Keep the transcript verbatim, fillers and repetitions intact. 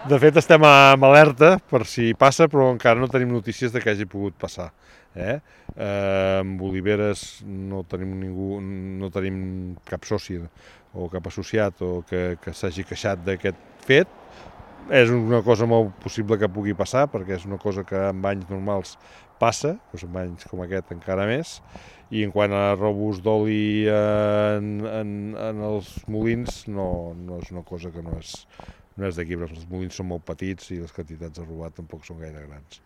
De fet, estem en alerta per si passa, però encara no tenim notícies de que hagi pogut passar. Eh? Eh, amb oliveres no tenim ningú, no tenim cap soci o cap associat o que, que s'hagi queixat d'aquest fet. És una cosa molt possible que pugui passar, perquè és una cosa que en banys normals passa, doncs en banys com aquest encara més, i en quant a robos d'oli en, en, en els molins, no, no és una cosa que no és, no és d'aquí, però els molins són molt petits i les quantitats de robat tampoc són gaire grans.